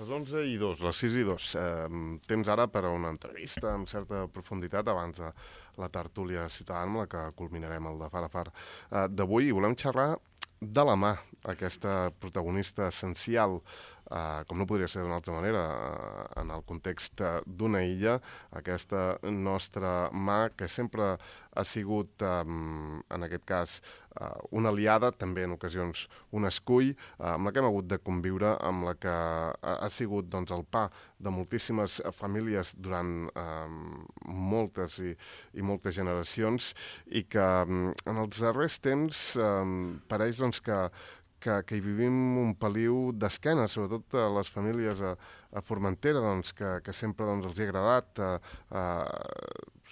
Les 11:02, les 6:02. Temps ara per a una entrevista amb certa profunditat abans de la tertúlia ciutadana amb la que culminarem el de Far a Far d'avui. I volem xerrar de la mà, aquesta protagonista essencial, com no podria ser d'una altra manera, en el context d'una illa, aquesta nostra mà que sempre ha sigut, en aquest cas, una aliada, també en ocasions un escull, amb la que hem hagut de conviure, amb la que ha sigut doncs, el pa de moltíssimes famílies durant moltes i moltes generacions i que en els darrers temps pareix doncs, que hi vivim un peliu d'esquena, sobretot a les famílies a Formentera, doncs, que sempre doncs, els hi ha agradat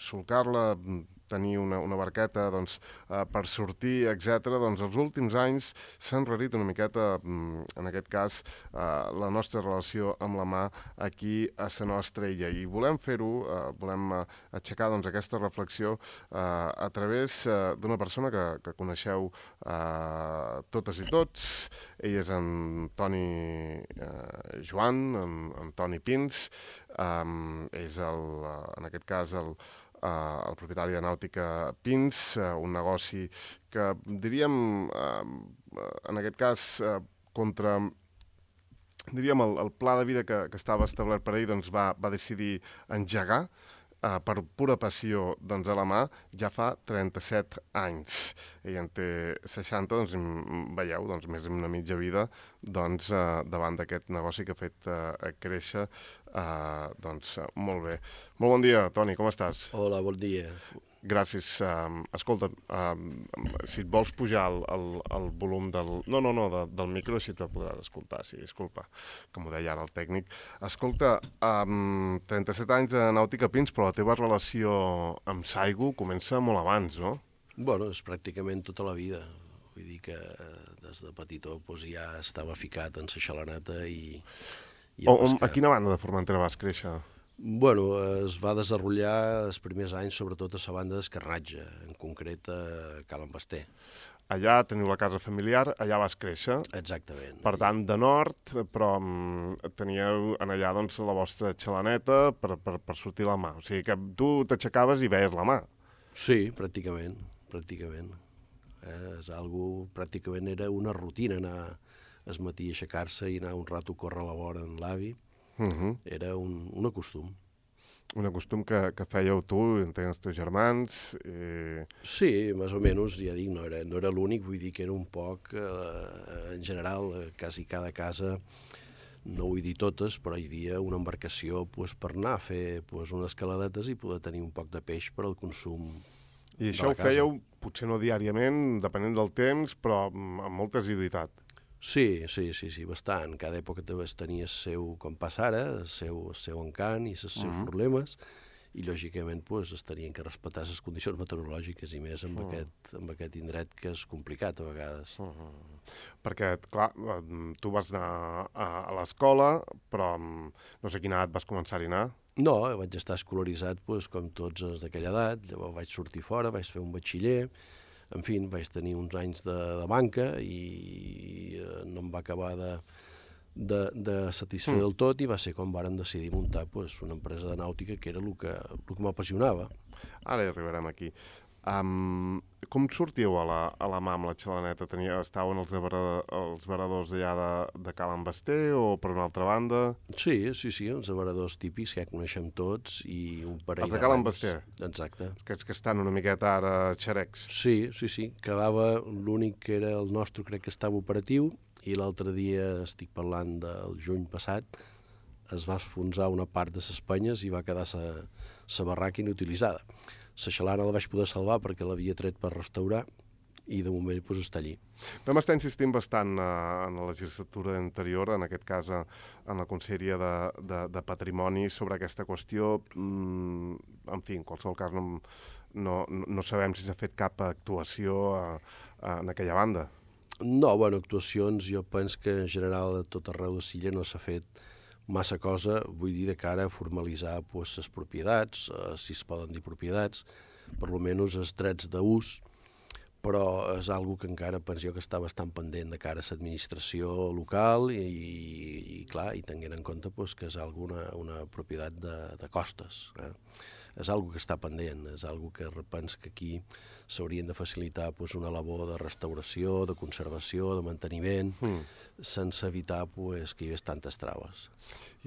solcar-la, tenir una barqueta doncs, per sortir, etc. Doncs els últims anys s'ha enrarit una miqueta, en aquest cas, la nostra relació amb la mà aquí a la nostra illa. I volem fer-ho, volem aixecar doncs, aquesta reflexió a través d'una persona que coneixeu totes i tots. Ell és en Toni Joan, en Toni Pins, és en aquest cas el propietari de Nàutica Pins, un negoci que diríem, en aquest cas, contra el pla de vida que estava establert per ell, doncs va decidir engegar per pura passió doncs, a la mà ja fa 37 anys. Ell en té 60, doncs veieu, doncs, més d'una mitja vida doncs, davant d'aquest negoci que ha fet créixer doncs, molt bé. Molt bon dia, Toni, com estàs? Hola, bon dia. Gràcies. Escolta, si et vols pujar el volum del micro, així te podràs escoltar, sí, disculpa, que m'ho deia ara el tècnic. Escolta, 37 anys de Nàutica Pins, però la teva relació amb Saigo comença molt abans, no? Bueno, és pràcticament tota la vida. Vull dir que des de petitó doncs, ja estava ficat en la xalaneta i... A quina banda de Formentera vas créixer? Bueno, es va desenvolupar els primers anys, sobretot a la banda d'Escarratge, en concret a Cal Envester. Allà teniu la casa familiar, allà vas créixer. Exactament. Per tant, de nord, però teníeu en allà doncs, la vostra xalaneta per sortir la mà. O sigui que tu t'aixecaves i veies la mà. Sí, pràcticament. És algo, pràcticament era una rutina, anar al matí a aixecar-se i anar un rato a córrer a la vora amb l'avi. Era un costum. Un costum que fèieu tu, entenc els teus germans... Sí, més o menys, ja dic, no era l'únic, vull dir que era un poc, en general, quasi cada casa, no vull dir totes, però hi havia una embarcació pues, per anar a fer pues, unes caladetes i poder tenir un poc de peix per al consum de la casa. I això ho fèieu, potser no diàriament, depenent del temps, però amb molta assiduïtat. Sí, bastant. Cada època tenia el seu, com passa ara, el seu encant i els seus problemes, i lògicament pues, es tenien que respectar les condicions meteorològiques i més amb aquest indret que és complicat a vegades. Perquè, clar, tu vas anar a l'escola, però no sé quina edat vas començar a anar. No, vaig estar escolaritzat pues, com tots els d'aquella edat, llavors vaig sortir fora, vaig fer un batxiller, en fi, vaig tenir uns anys de banca i no em va acabar de satisfer del tot i va ser quan vàrem decidir muntar pues, una empresa de nàutica que era el que m'apassionava. Ara hi arribarem aquí. Com sortíeu a la mà amb la xalaneta? Estaven els varadors d'allà de Cal Envester o per una altra banda? Sí, els varadors típics que ja coneixem tots i un parell els de Cal Envester? Exacte. Aquests que estan una miqueta ara xerecs. Sí. Quedava l'únic que era el nostre, crec que estava operatiu, i l'altre dia, estic parlant del juny passat, es va enfonsar una part de les penyes i va quedar la barraca inutilitzada. La xalana la vaig poder salvar perquè l'havia tret per restaurar i de moment pues, està allí. Vam estar insistint bastant en la legislatura anterior, en aquest cas en la Conselleria de Patrimoni, sobre aquesta qüestió. En fi, en qualsevol cas no sabem si s'ha fet cap actuació en aquella banda. No, actuacions jo penso que en general a tot arreu de l'illa no s'ha fet massa cosa, vull dir, de cara a formalitzar pues, les propietats, si es poden dir propietats, per almenys els drets d'ús, però és algo que encara penso jo que està bastant pendent de cara a l'administració local i clar, i tenint en compte pues, que és una propietat de costes. És algo que està pendent, és algo que repens que aquí s'haurien de facilitar pues, una labor de restauració, de conservació, de manteniment, sense evitar pues, que hi hagués tantes traves.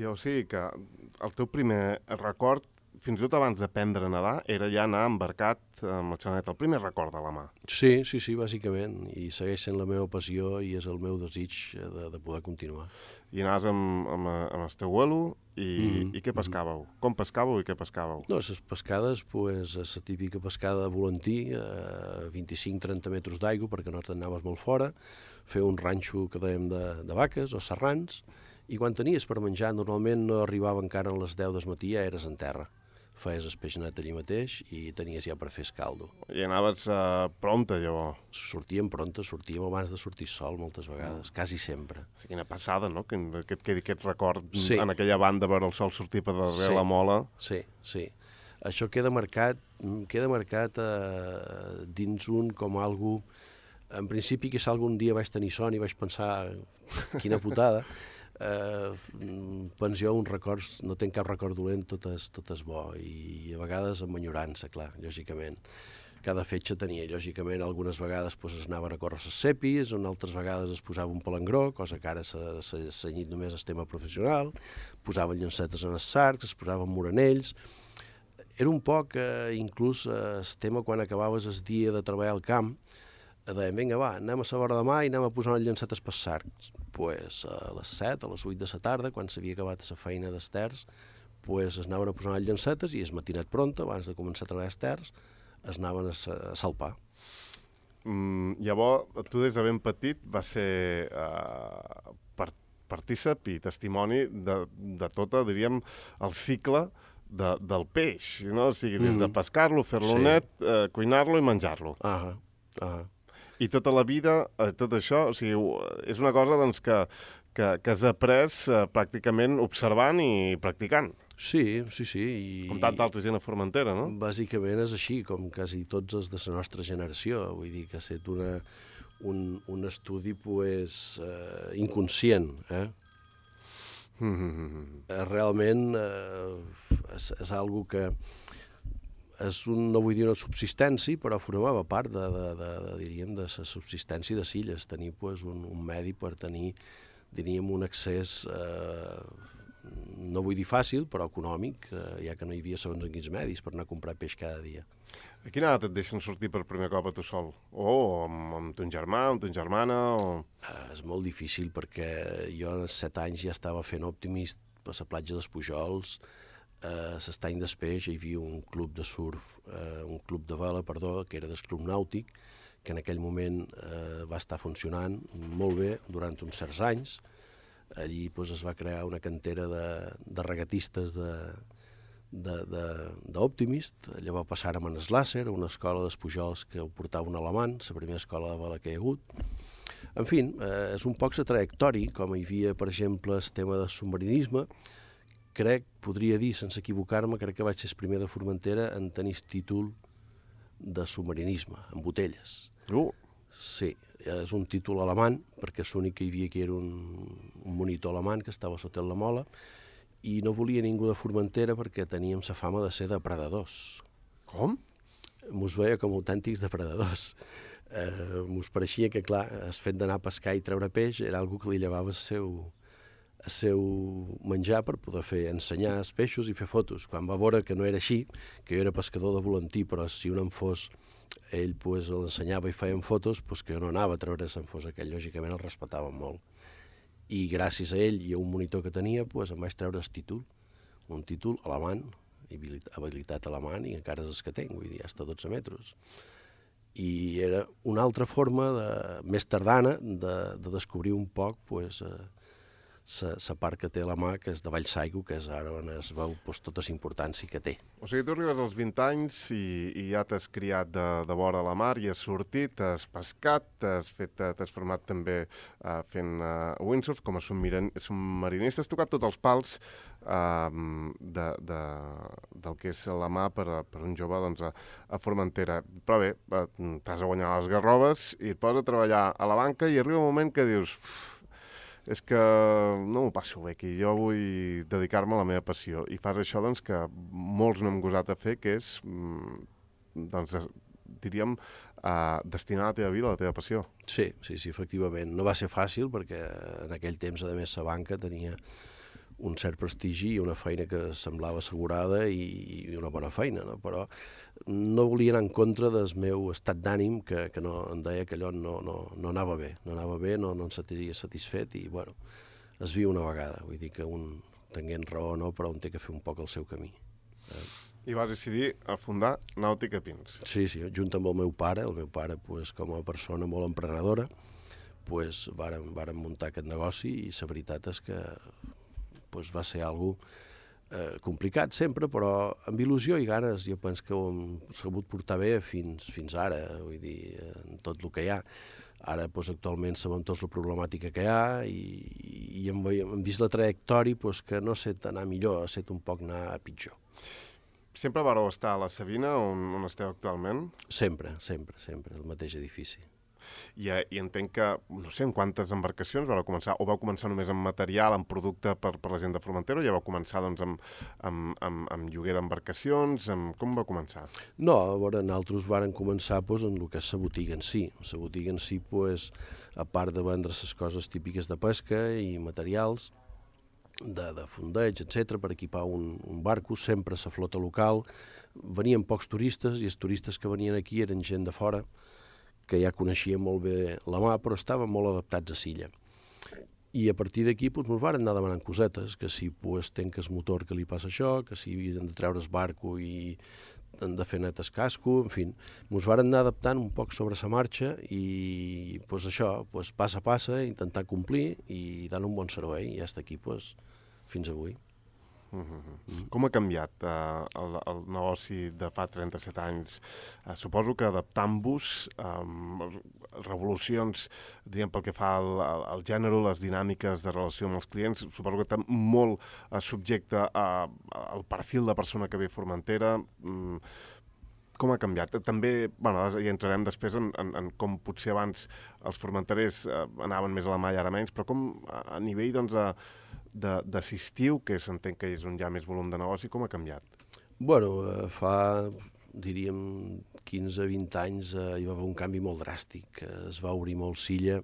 O sigui que el teu primer record, fins i tot abans d'aprendre a nedar, era ja anar embarcat amb la xaneta, el primer record de la mà. Sí, bàsicament, i segueix sent la meva passió i és el meu desig de poder continuar. I anaves amb el teu abuelo i què pescàveu? Com pescàveu i què pescàveu? No, les pescades, pues, és la típica pescada de volantí, a 25-30 metres d'aigua, perquè nosaltres anaves molt fora, fer un ranxo que dèiem de vaques o serrans, i quan tenies per menjar, normalment no arribava encara a les 10 del matí, ja eres en terra. Feies el peix net allí mateix i tenies ja per fer escaldo. I anaves prompte, llavors? Sortíem prompte, sortíem abans de sortir sol moltes vegades, quasi sempre. Sí, quina passada, no?, que et quedi aquest record en aquella banda veure el sol sortir per darrere la mola. Sí. Això queda marcat dins un com algú... En principi, que si algun dia vaig tenir son i vaig pensar quina putada, penso jo no tenc cap record dolent, tot és bo, i a vegades amb enyorança, clar, lògicament. Cada fetge tenia, lògicament, algunes vegades es anaven a córrer les cepis, altres vegades es posava un palangró, cosa que ara s'ha cenyit només el tema professional, posaven llancetes en els sarcs, es posaven moranells. Era un poc, inclús, el tema quan acabaves el dia de treballar al camp, deien, vinga, va, anem a la vora de mà i anem a posar les llancetes per sarcs. Pues a les 7, a les 8 de la tarda, quan s'havia acabat la feina d'esters, pues es anaven a posar les llancetes i el matinet pront, abans de començar a treballar esters, es anaven a salpar. Llavors, tu des de ben petit vas ser partícip i testimoni de tot, diríem, el cicle del peix, no? O sigui, des de pescar-lo, fer-lo net, cuinar-lo i menjar-lo. I tota la vida, tot això, o sigui, és una cosa doncs, que has après pràcticament observant i practicant. Sí. Com tanta altra gent a Formentera, no? Bàsicament és així, com quasi tots els de la nostra generació. Vull dir que ha estat un estudi pues, inconscient. Realment és algo que... no vull dir una subsistència, però formava part diríem, de la subsistència de Silles, tenir pues, un medi per tenir, diríem, un accés, no vull dir fàcil, però econòmic, ja que no hi havia segons en quins medis per anar a comprar peix cada dia. A quina edat et deixen sortir per primer cop a tu sol? O amb ton germà, amb ton germana? És molt difícil, perquè jo als 7 anys ja estava fent Optimist per la platja dels Pujols. L'any després hi havia un club de surf, un club de vela, que era del Club Nàutic, que en aquell moment va estar funcionant molt bé durant uns certs anys. Allí es va crear una cantera de regatistes d'Optimist. Llavors passàrem a Neslàcer, una escola dels Pujols que ho portava un alemany, la primera escola de vela que hi ha hagut. En fi, és un poc la trajectòria, com hi havia, per exemple, el tema del submarinisme. Podria dir, sense equivocar-me, crec que vaig ser el primer de Formentera en tenir títol de submarinisme, en botelles. Sí, és un títol alemany, perquè l'únic que hi havia aquí era un monitor alemany que estava sota la mola, i no volia ningú de Formentera perquè teníem la fama de ser depredadors. Com? Mos veia com autèntics depredadors. Mos pareixia que, clar, el fet d'anar a pescar i treure peix era algo que li llevava el seu menjar per poder ensenyar els peixos i fer fotos. Quan va veure que no era així, que jo era pescador de volantí, però si un en fos, ell l'ensenyava i feien fotos, que jo no anava a treure en fos aquell, lògicament el respectaven molt. I gràcies a ell i a un monitor que tenia, em vaig treure el títol, un títol alemany, habilitat alemany, i encara és el que tinc, vull dir, hasta 12 metres. I era una altra forma, més tardana, de descobrir un poc la part que té a la mà, que és de Vallsaigo, que és ara on es veu tota la importància que té. O sigui, tu arribes als 20 anys i ja t'has criat de vora a la mar i has sortit, has pescat, t'has format també fent windsurf com a submarinista, has tocat tots els pals del que és la mà per un jove doncs, a Formentera. Però bé, t'has de guanyar les garroves i et poses a treballar a la banca i arriba un moment que dius... és que no m'ho passo bé aquí, jo vull dedicar-me a la meva passió. I fas això doncs, que molts no hem gosat a fer, que és, doncs, diríem, destinar la teva vida a la teva passió. Sí, efectivament. No va ser fàcil perquè en aquell temps, a més, la banca tenia un cert prestigi i una feina que semblava assegurada i una bona feina, no? Però no volia anar en contra del meu estat d'ànim, que no, em deia que allò no anava bé, no em sentiria satisfet i, bueno, es viu una vegada, vull dir que un tenint raó o no, però un té que fer un poc el seu camí. I vas decidir a fundar Nàutica Pins. Sí, junt amb el meu pare, pues, com a persona molt emprenedora, pues, vàrem muntar aquest negoci i la veritat és que pues, va ser algo complicat sempre, però amb il·lusió i ganes jo penso que ho hem sabut portar bé fins ara, vull dir, en tot el que hi ha. Ara, pues, actualment, sabem tots la problemàtica que hi ha i hem vist la trajectòria pues, que no ha set anar millor, ha set un poc anar a pitjor. Sempre vareu estar a la Savina, on esteu actualment? Sempre, el mateix edifici. I entenc que, no sé, en quantes embarcacions vau començar? O vau començar només amb material, amb producte per la gent de Formentera, o ja vau començar doncs, amb lloguer d'embarcacions? Com va començar? No, a veure, nosaltres vàrem començar pues, en el que és la botiga en si. La botiga en si, pues, a part de vendre les coses típiques de pesca i materials, de fondeig, etc per equipar un barco, sempre a la flota local. Venien pocs turistes i els turistes que venien aquí eren gent de fora, que ja coneixia molt bé la mà, però estaven molt adaptats a l'illa. I a partir d'aquí ens varen anar demanant cosetes, que si tenc el motor que li passa això, que si hem de treure el barco i hem de fer net el casco, en fi, ens varen anar adaptant un poc sobre la marxa i això, pas a pas, intentar complir i dar un bon servei, i ja està aquí fins avui. Com ha canviat el negoci de fa 37 anys? Suposo que adaptant-vos revolucions, diguem, pel que fa al gènere, les dinàmiques de relació amb els clients, suposo que està molt subjecte al perfil de persona que ve a Formentera. Com ha canviat? També, bueno, hi entrarem després en com potser abans els formenterers anaven més a la mà i ara menys, però com a nivell, doncs, d'assistiu, que s'entén que és on hi ha més volum de negoci, com ha canviat? Bueno, fa, diríem, 15-20 anys hi va haver un canvi molt dràstic. Es va obrir molt Silla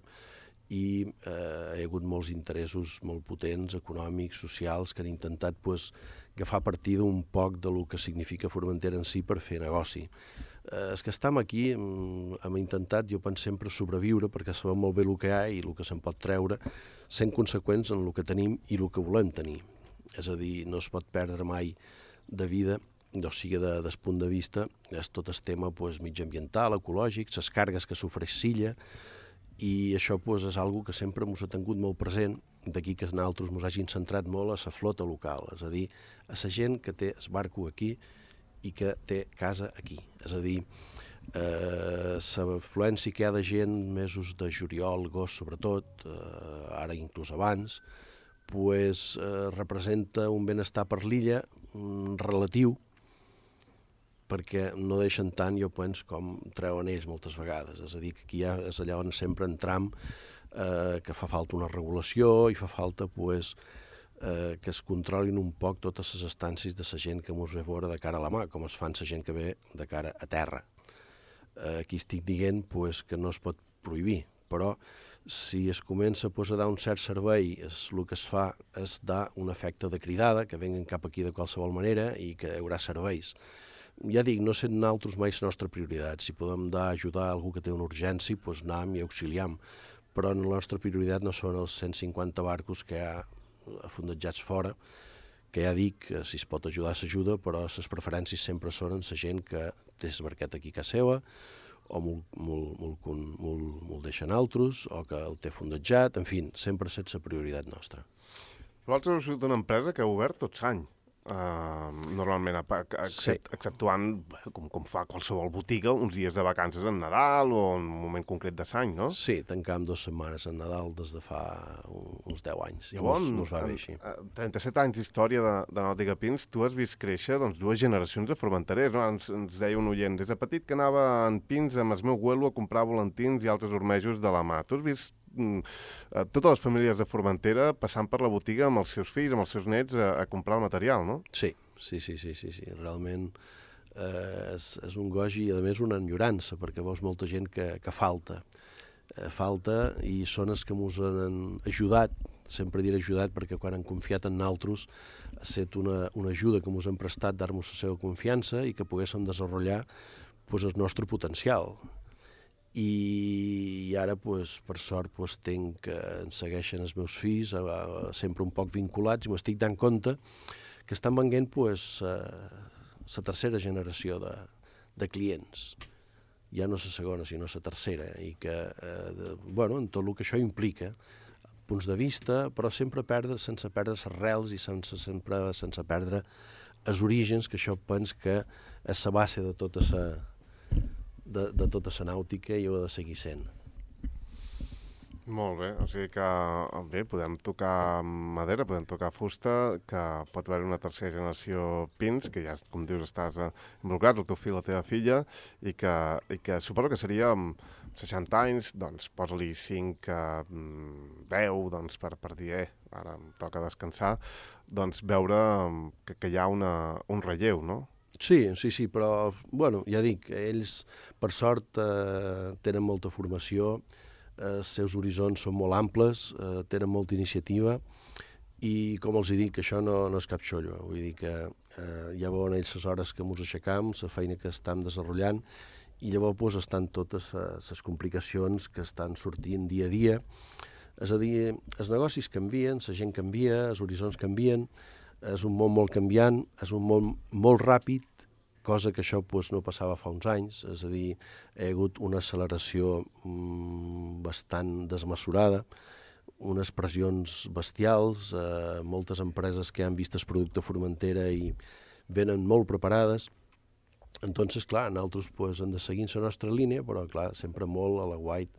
i hi ha hagut molts interessos molt potents, econòmics, socials, que han intentat agafar partida un poc de lo que significa Formentera en si per fer negoci. Els que estem aquí hem intentat, jo penso, sempre sobreviure perquè sabem molt bé el que hi ha i el que se'n pot treure, sent conseqüents en el que tenim i el que volem tenir. És a dir, no es pot perdre mai de vida, o sigui, des punt de vista, és tot el tema mitjanambiental, ecològic, les cargues que s'ofereix Silla, i això és algo que sempre ens ha tingut molt present, d'aquí que nosaltres ens hagin centrat molt a la flota local, és a dir, a la gent que té el barco aquí i que té casa aquí. És a dir, l'afluència que hi ha de gent, mesos de juliol, agost sobretot, ara inclús abans, representa un benestar per l'illa relatiu, perquè no deixen tant, jo penso, com treuen ells moltes vegades. És a dir, que aquí és allà on sempre entram, que fa falta una regulació i fa falta que es controlin un poc totes les estàncies de la gent que ens ve a veure de cara a la mà, com es fan la gent que ve de cara a terra. Aquí estic dient que no es pot prohibir, però si es comença a dar un cert servei, el que es fa és dar un efecte de cridada, que venguen cap aquí de qualsevol manera i que hi haurà serveis. Ja dic, no sent nosaltres mai la nostra prioritat. Si podem ajudar a algú que té una urgència, anem i auxiliam. Però la nostra prioritat no són els 150 barcos que hi ha afondejats fora, que ja dic que si es pot ajudar s'ajuda, però les preferències sempre són en la gent que té la barqueta aquí a casa seva o me'l deixen altres, o que el té fondejat, en fi, sempre sense prioritat nostra. Vosaltres heu sigut una empresa que heu obert tot l'any, normalment, exceptuant, com fa qualsevol botiga, uns dies de vacances en Nadal o en un moment concret de l'any, no? Sí, tancam 2 setmanes en Nadal des de fa uns 10 anys. Llavors, no es va bé així. 37 anys d'història de Nàutica Pins, tu has vist créixer doncs, 2 generacions de formenterers, no? Ens deia un oient, des de petit que anava en Pins amb el meu abuelo a comprar volantins i altres ormejos de la mà. Tu has vist totes les famílies de Formentera passant per la botiga amb els seus fills, amb els seus nets, a comprar el material, no? Sí. Realment és un goig i, a més, una enyorança, perquè veus molta gent que falta. Falta i són els que ens han ajudat, sempre diré ajudat, perquè quan han confiat en nosaltres ha estat una ajuda que ens han prestat, dar-nos la seva confiança i que poguéssim desenvolupar el nostre potencial. I ara, per sort, ens segueixen els meus fills, sempre un poc vinculats, i m'estic dant compte que estan venent la tercera generació de clients. Ja no la segona, sinó la tercera, i que, en tot el que això implica, punts de vista, però sempre sense perdre les arrels i sense perdre els orígens, que això penso que és la base de tota la nàutica i ho ha de seguir sent. Molt bé, o sigui que bé, podem tocar madera, podem tocar fusta, que pot haver una tercera generació Pins, que ja, com dius, estàs involucrat, el teu fill, la teva filla, i que suposo que seria amb 60 anys, doncs posa-li 5, 10, doncs per dir, ara em toca descansar, doncs veure que hi ha un relleu, no? Sí, però, ja dic, ells, per sort, tenen molta formació, els seus horitzons són molt amples, tenen molta iniciativa, i, com els dic, això no és cap xollo. Vull dir que ja veuen ells les hores que ens aixecam, la feina que estan desenvolupant, i llavors estan totes les complicacions que estan sortint dia a dia. És a dir, els negocis canvien, la gent canvia, els horitzons canvien, és un món molt canviant, és un món molt ràpid, cosa que això no passava fa uns anys, és a dir, hi ha hagut una acceleració bastant desmesurada, unes pressions bestials, moltes empreses que han vist el producte Formentera i venen molt preparades. Entonces, clar, nosaltres hem de seguir la nostra línia, però clar, sempre molt a l'aguait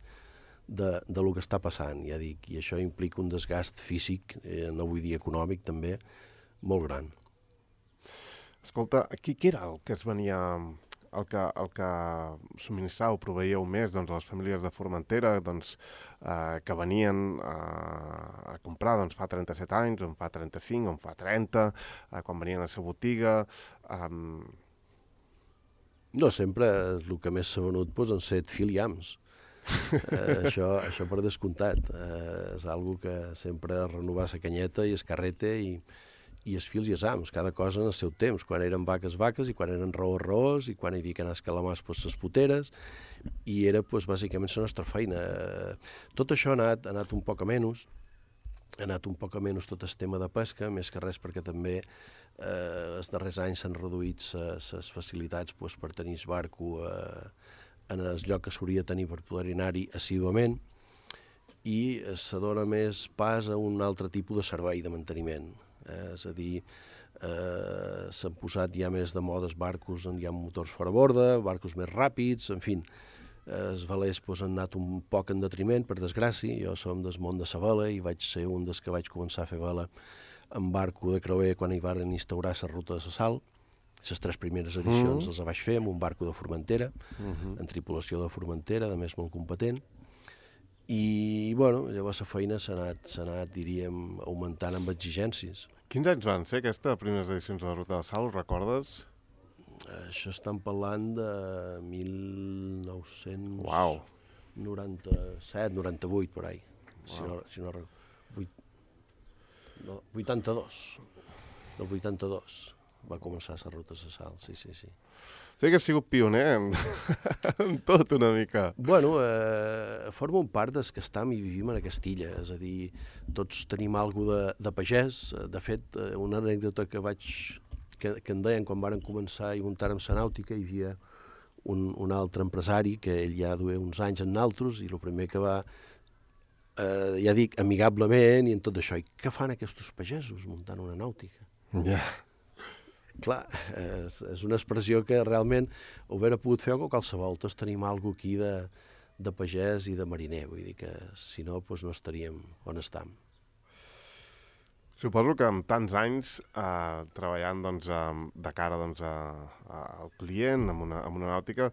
de lo que està passant, ja dic, i això implica un desgast físic, no vull dir econòmic també, molt gran. Escolta, qui era el que es venia, el que subministrava o proveïeu més a les famílies de Formentera, que venien a comprar fa 37 anys, o en fa 35, o en fa 30, quan venien a la botiga? No, sempre el que més s'ha venut han set filiams. Això per descomptat. És algo que sempre renovar la canyeta i el carrete i els fils i els ams, cada cosa en el seu temps, quan eren vaques, i quan eren raós, i quan hi havia que anar a escalamars, les puteres, i era, bàsicament, la nostra feina. Tot això ha anat un poc a menys, tot el tema de pesca, més que res perquè també els darrers anys s'han reduït les facilitats per tenir el barco en el lloc que s'hauria de tenir per poder anar-hi assíduament, i se dona més pas a un altre tipus de servei de manteniment. És a dir, s'han posat ja més de moda els barcos on hi ha motors fora borda, barcos més ràpids, en fi, els velers han anat un poc en detriment, per desgràcia. Jo som del món de la vela i vaig ser un dels que vaig començar a fer vela en barco de creuer quan hi van instaurar la ruta de la sal. Les 3 primeres edicions les vaig fer amb un barco de Formentera, en tripulació de Formentera, a més molt competent. I, llavors la feina s'ha anat, diríem, augmentant amb exigències. Quins anys van ser aquestes primeres edicions de la Ruta de la Sal, ho recordes? Això estan parlant de 1997, 98, per ahí. Si no 82. Del 82 va començar la Ruta de la Sal, sí. Sí que has sigut pioner en tot una mica. Formo part dels que estem i vivim en aquesta illa, és a dir, tots tenim alguna de pagès. De fet, una anècdota que em deien quan varen començar i muntar amb la nàutica, hi havia un altre empresari que ell ja duia uns anys en naltros i el primer que va, ja dic, amigablement i en tot això. I què fan aquests pagesos muntant una nàutica? Ja. Clar, és una expressió que realment ho hauria pogut fer qualsevol. Tots tenim alguna cosa aquí de pagès i de mariner. Vull dir que si no, doncs no estaríem on estem. Suposo que amb tants anys treballant doncs, de cara doncs, al client, amb una nàutica,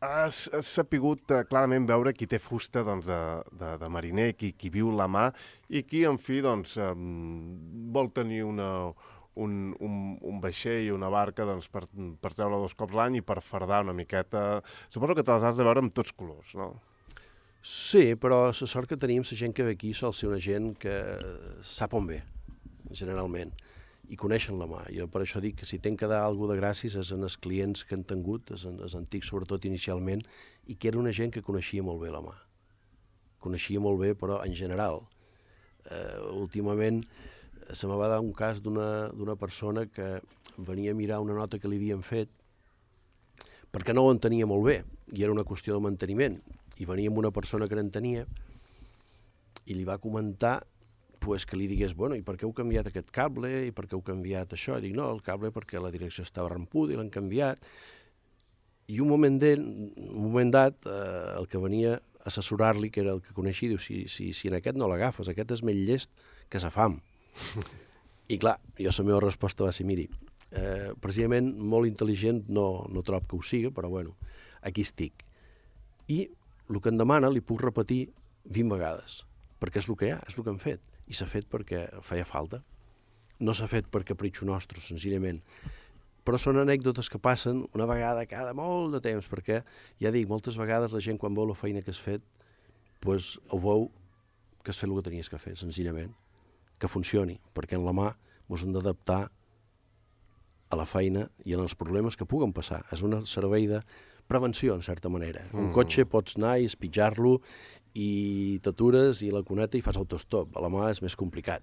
has sapigut clarament veure qui té fusta doncs, de mariner, qui viu la mà i qui, en fi, doncs, vol tenir un vaixell i una barca doncs, per treure 2 cops l'any i per fardar una miqueta. Suposo que te les has de veure amb tots colors, no? Sí, però la sort que tenim, la gent que ve aquí sol ser una gent que sap on ve, generalment, i coneixen la mà. Jo per això dic que si tenc que dar alguna de gràcies és en els clients que han tingut, els antics sobretot inicialment, i que era una gent que coneixia molt bé la mà. Coneixia molt bé, però en general. Últimament se me va dar un cas d'una persona que venia a mirar una nota que li havien fet perquè no ho entenia molt bé, i era una qüestió de manteniment. I venia amb una persona que n'entenia i li va comentar pues, que li digués, bueno, i per què heu canviat aquest cable, i per què heu canviat això? I dic, no, el cable perquè la direcció estava rampuda i l'han canviat. I un moment dat, el que venia a assessorar-li, que era el que coneixia, diu, si en aquest no l'agafes, aquest és més llest que sa fam. I clar, jo la meva resposta va ser, miri, precisament molt intel·ligent no trob que ho siga, però bueno, aquí estic. I el que em demana li puc repetir 20 vegades, perquè és el que hi ha, és el que hem fet. I s'ha fet perquè feia falta. No s'ha fet per capritxo nostre, senzillament. Però són anècdotes que passen una vegada cada molt de temps, perquè, ja dic, moltes vegades la gent quan veu la feina que has fet, doncs ho veu que has fet el que tenies que fer, senzillament. Que funcioni, perquè en la mà ens hem d'adaptar a la feina i als problemes que puguen passar. És un servei de prevenció, en certa manera. Un cotxe pots anar i espitjar-lo i t'atures i la cuneta i fas autostop. A la mà és més complicat.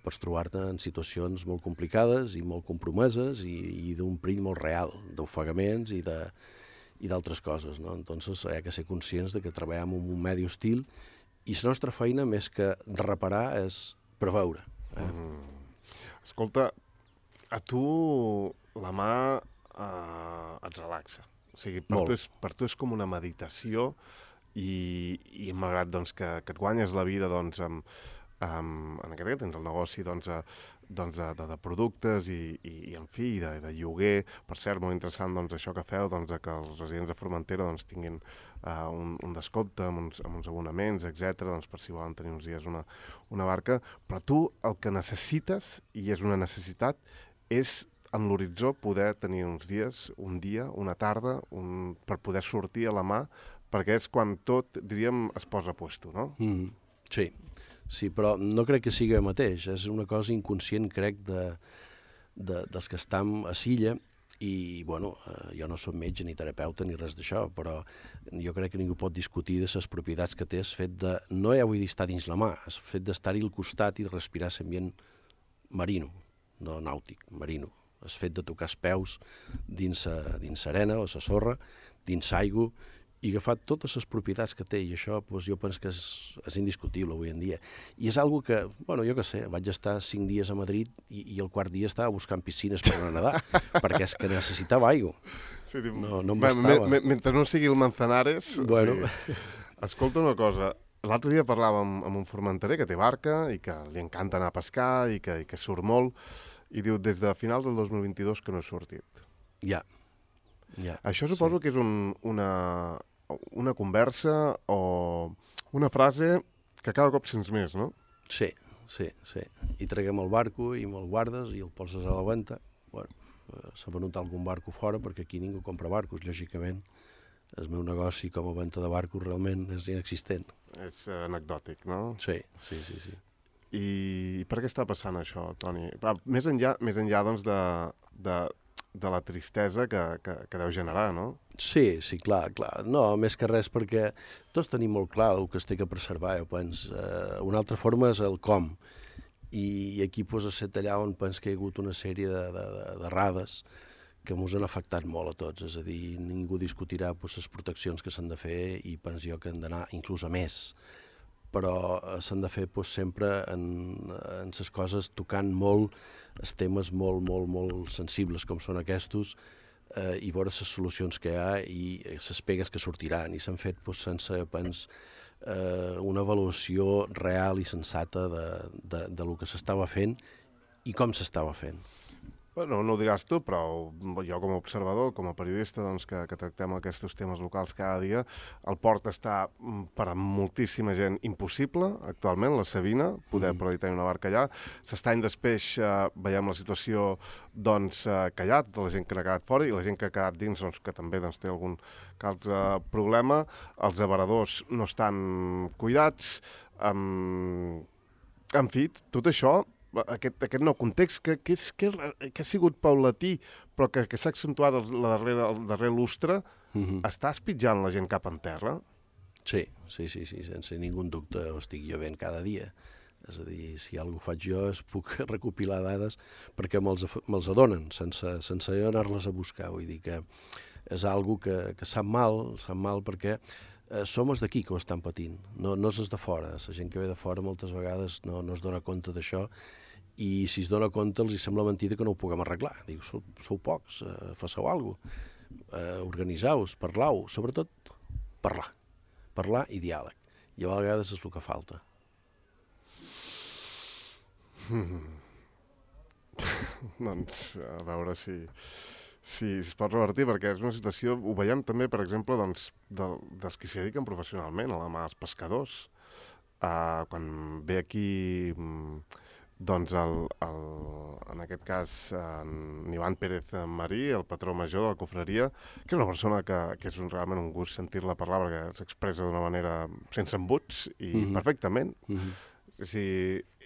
Pots trobar-te en situacions molt complicades i molt compromeses i d'un perill molt real, d'ofegaments i d'altres coses, no? Entonces, hi ha que ser conscients de que treballem en un medi hostil i la nostra feina, més que reparar, és preveure. Escolta, a tu la mà et relaxa. O sigui, per tu és com una meditació i malgrat doncs, que et guanyes la vida doncs, en aquest cas tens el negoci doncs, de productes i en fi, de lloguer. Per cert, molt interessant doncs, això que feu, doncs, que els residents de Formentera doncs, tinguin un descompte amb uns abonaments, etc., doncs, per si volen tenir uns dies una barca. Però tu el que necessites, i és una necessitat, és en l'horitzó poder tenir uns dies, un dia, una tarda, per poder sortir a la mà, perquè és quan tot, diríem, es posa a puesto, no? Sí, però no crec que sigui el mateix. És una cosa inconscient, crec, dels que estem a Silla, i, bueno, jo no soc metge ni terapeuta ni res d'això, però jo crec que ningú pot discutir de les propietats que té el fet de, no ja vull dir estar dins la mà, el fet d'estar-hi al costat i de respirar l'ambient marino, no nàutic, marino. El fet de tocar els peus dins l'arena o la sorra, dins l'aigua, i agafar totes les propietats que té, i això doncs, jo penso que és indiscutible avui en dia. I és algo que, bueno, jo què sé, vaig estar 5 dies a Madrid i el quart dia estava buscant piscines per anar a nedar, perquè és que necessitava aigua. Sí, no em bastava. Mentre no sigui el Manzanares... Bueno. Sí. Escolta una cosa, l'altre dia parlàvem amb un formenterer que té barca i que li encanta anar a pescar i que surt molt, i diu, des de finals del 2022 que no he sortit. Ja. Això suposo que és una conversa o una frase que cada cop sents més, no? Sí. I traguem el barco i me'l guardes i el poses a la venda. Bueno, s'ha venut algun barco fora perquè aquí ningú compra barcos, lògicament. El meu negoci com a venda de barcos realment és inexistent. És anecdòtic, no? Sí. I per què està passant això, Toni? Més enllà doncs, de la tristesa que deu generar, no? Sí, clar. No, més que res perquè tots tenim molt clar el que es té que preservar, jo penso. Una altra forma és el com. I aquí posa set allà on penso que hi ha hagut una sèrie d'errades que ens han afectat molt a tots, és a dir, ningú discutirà les proteccions que s'han de fer i penso jo que han d'anar inclús a més, però s'han de fer sempre en les coses tocant molt els temes molt sensibles com són aquests i veure les solucions que hi ha i les pegues que sortiran, i s'han fet sense una avaluació real i sensata del que s'estava fent i com s'estava fent. Bueno, no ho diràs tu, però jo com a observador, com a periodista, doncs, que tractem aquests temes locals cada dia, el port està per a moltíssima gent impossible, actualment, la Sabina, poder tenir una barca allà. S'estany després veiem la situació doncs, que hi ha, tota la gent que n'ha quedat fora i la gent que ha quedat dins, doncs, que també doncs, té algun altre problema. Els avaradors no estan cuidats. En fi, tot això, aquest nou context que ha sigut paulatí però que s'ha accentuat el darrer lustre, està espitjant la gent cap en terra? Sí, sense ningú dubte ho estic jo veient cada dia. És a dir, si alguna cosa faig jo puc recopilar dades perquè me'ls adonen sense anar-les a buscar. Vull dir que és algo que sap mal perquè som els d'aquí que ho estan patint, no és els de fora. La gent que ve de fora moltes vegades no es dona compte d'això i si es dona compte els sembla mentida que no ho puguem arreglar. Diu, sou pocs, faceu alguna cosa, organitzeu-vos, parlau, sobretot parlar i diàleg. I a vegades és el que falta. Doncs a veure si es pot revertir, perquè és una situació, ho veiem també, per exemple, doncs, dels que s'hi dediquen professionalment, a la mà dels pescadors. Quan ve aquí, doncs, en aquest cas, en Ivan Pérez Marí, el patró major de la cofreria, que és una persona que és realment un gust sentir-la parlar, perquè s'expressa d'una manera sense embuts i perfectament.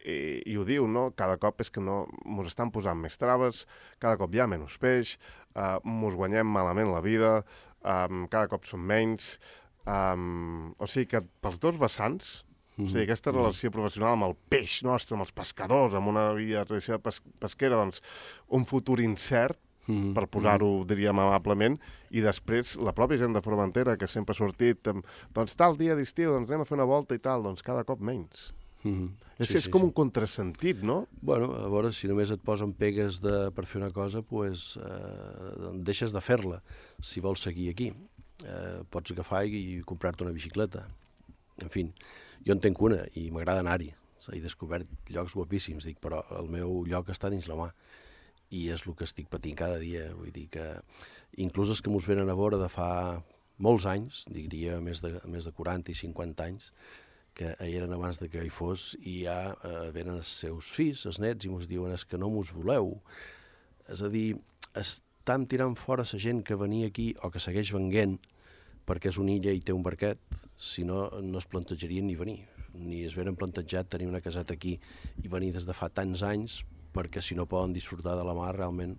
I ho diu, no? Cada cop és que mos estan posant més traves, cada cop hi ha menys peix, mos guanyem malament la vida, cada cop som menys. O sigui que pels dos vessants, o sigui, aquesta relació professional amb el peix nostre, amb els pescadors, amb una vida de tradició pesquera, doncs un futur incert, per posar-ho, diríem, amablement, i després la pròpia gent de Formentera, que sempre ha sortit, doncs tal dia d'estiu, doncs anem a fer una volta i tal, doncs cada cop menys. És com un contrasentit, no? Bueno, a veure, si només et posen pegues per fer una cosa, doncs deixes de fer-la, si vols seguir aquí. Pots agafar i comprar-te una bicicleta. En fi, jo en tenc una i m'agrada anar-hi. He descobert llocs guapíssims, però el meu lloc està dins la mà. I és el que estic patint cada dia. Vull dir que inclús els que mos venen a veure de fa molts anys, diria més de 40 i 50 anys, que eren abans que hi fos, i ja venen els seus fills, els nets, i mos diuen que no mos voleu. És a dir, estem tirant fora la gent que venia aquí o que segueix venguent perquè és una illa i té un barquet, si no, no es plantejarien ni venir. Ni es veren plantejat tenir una caseta aquí i venir des de fa tants anys, perquè si no poden disfrutar de la mar, realment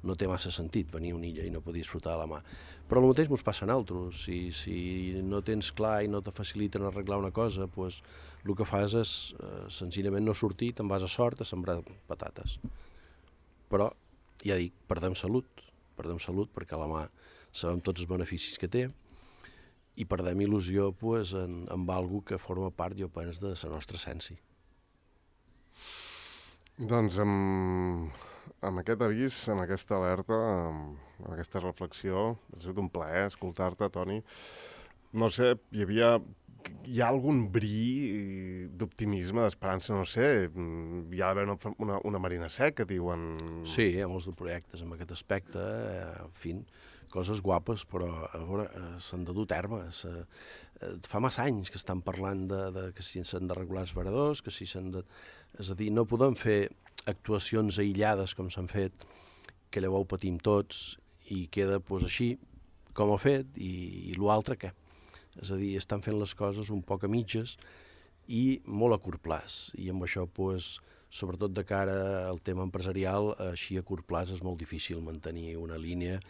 no té massa sentit venir a una illa i no poder disfrutar de la mar. Però el mateix ens passa a nosaltres. Si no tens clar i no te faciliten arreglar una cosa, doncs el que fas és senzillament no sortir, te'n vas a sort a sembrar patates. Però, ja dic, perdem salut perquè a la mà sabem tots els beneficis que té i perdem il·lusió amb alguna que forma part, jo penso, de la nostra essència. Doncs amb aquest avís, amb aquesta alerta, amb aquesta reflexió, ha sigut un plaer escoltar-te, Toni. No sé, hi ha algun bri d'optimisme, d'esperança, no sé, hi ha d'haver una marina seca, diuen... Sí, hi ha molts de projectes en aquest aspecte, en fi, coses guapes, però a veure, s'han de dur a terme. Fa massa anys que estan parlant que si s'han de regular els varadors, que si s'han de... És a dir, no podem fer actuacions aïllades com s'han fet, que llavors ho patim tots i queda així com ho ha fet i l'altre què? És a dir, estan fent les coses un poc a mitges i molt a curt plaç. I amb això, sobretot de cara al tema empresarial, així a curt plaç és molt difícil mantenir una línia,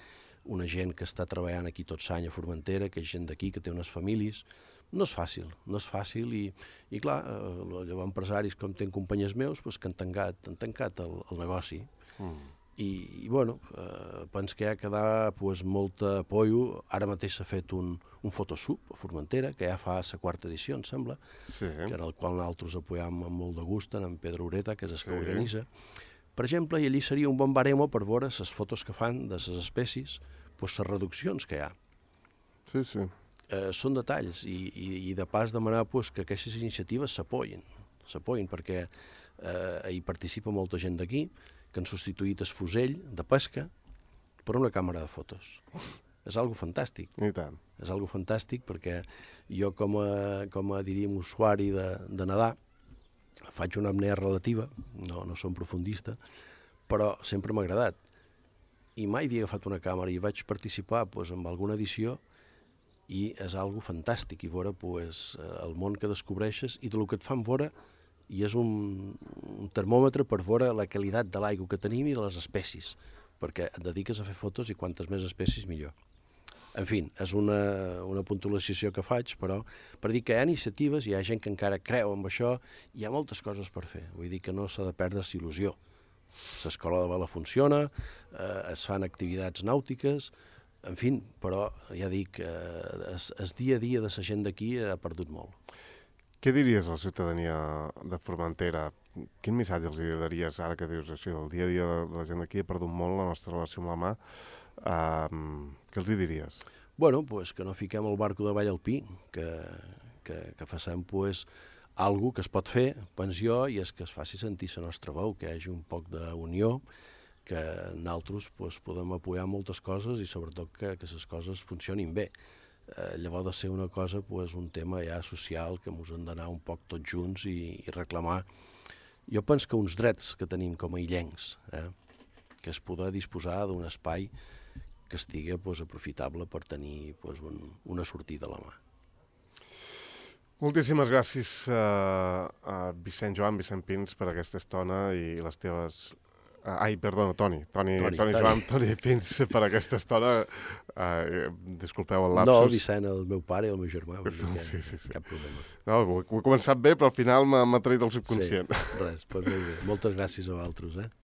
una gent que està treballant aquí tot l'any a Formentera, que és gent d'aquí, que té unes famílies. No és fàcil i clar, llavors empresaris com tenen companyies meus que han tancat el negoci I bueno, penso que hi ha que dar pues, molta apoio. Ara mateix s'ha fet un Photoshoot a Formentera, que ja fa la quarta edició, em sembla, Sí. que en el qual nosaltres apoyam amb molt de gust, en Pedro Ureta, que és el Sí. que organitza. Per exemple, i allí seria un bon baremo per veure les fotos que fan de les espècies, pues, les reduccions que hi ha. Sí, sí. Són detalls i de pas demanar pues, que aquestes iniciatives s'apoyin, perquè hi participa molta gent d'aquí, que han substituït el fusell de pesca per una càmera de fotos. És algo fantàstic. I tant. És algo fantàstic perquè jo com a diríem, usuari de nedar, faig una apnea relativa, no som profundista, però sempre m'ha agradat. I mai havia agafat una càmera i vaig participar pues, en alguna edició i és algo fantàstic i veure pues, el món que descobreixes i del que et fan veure i és un termòmetre per veure la qualitat de l'aigua que tenim i de les espècies, perquè et dediques a fer fotos i quantes més espècies millor. En fi, és una puntualització que faig, però per dir que hi ha iniciatives, hi ha gent que encara creu en això, hi ha moltes coses per fer. Vull dir que no s'ha de perdre la il·lusió. L'escola de vela funciona, es fan activitats nàutiques, en fi, però ja dic, el dia a dia de la gent d'aquí ha perdut molt. Què diries a la ciutadania de Formentera? Quin missatge els daries ara que dius això? El dia a dia de la gent d'aquí ha perdut molt la nostra relació amb la mà. Què els diries? Bueno, pues que no fiquem el barco de Vall Alpí, que facem pues, algo que es pot fer, penso jo, i és que es faci sentir la nostra veu, que hi hagi un poc d'unió, que nosaltres pues, podem apoyar moltes coses i sobretot que les coses funcionin bé. Llavors de ser una cosa, pues, un tema ja social que ens hem d'anar un poc tots junts i reclamar. Jo penso que uns drets que tenim com a illencs, que és poder disposar d'un espai que estigui pues, aprofitable per tenir pues, una sortida a la mà. Moltíssimes gràcies a Vicent Pins per aquesta estona i les teves... Toni Pins per aquesta estona. Disculpeu el lapsus. No, Vicent, el meu pare i el meu germà, Sí. cap problema. No, ho he començat bé, però al final m'ha traït el subconscient. Sí, res, doncs molt bé. Moltes gràcies a vosaltres,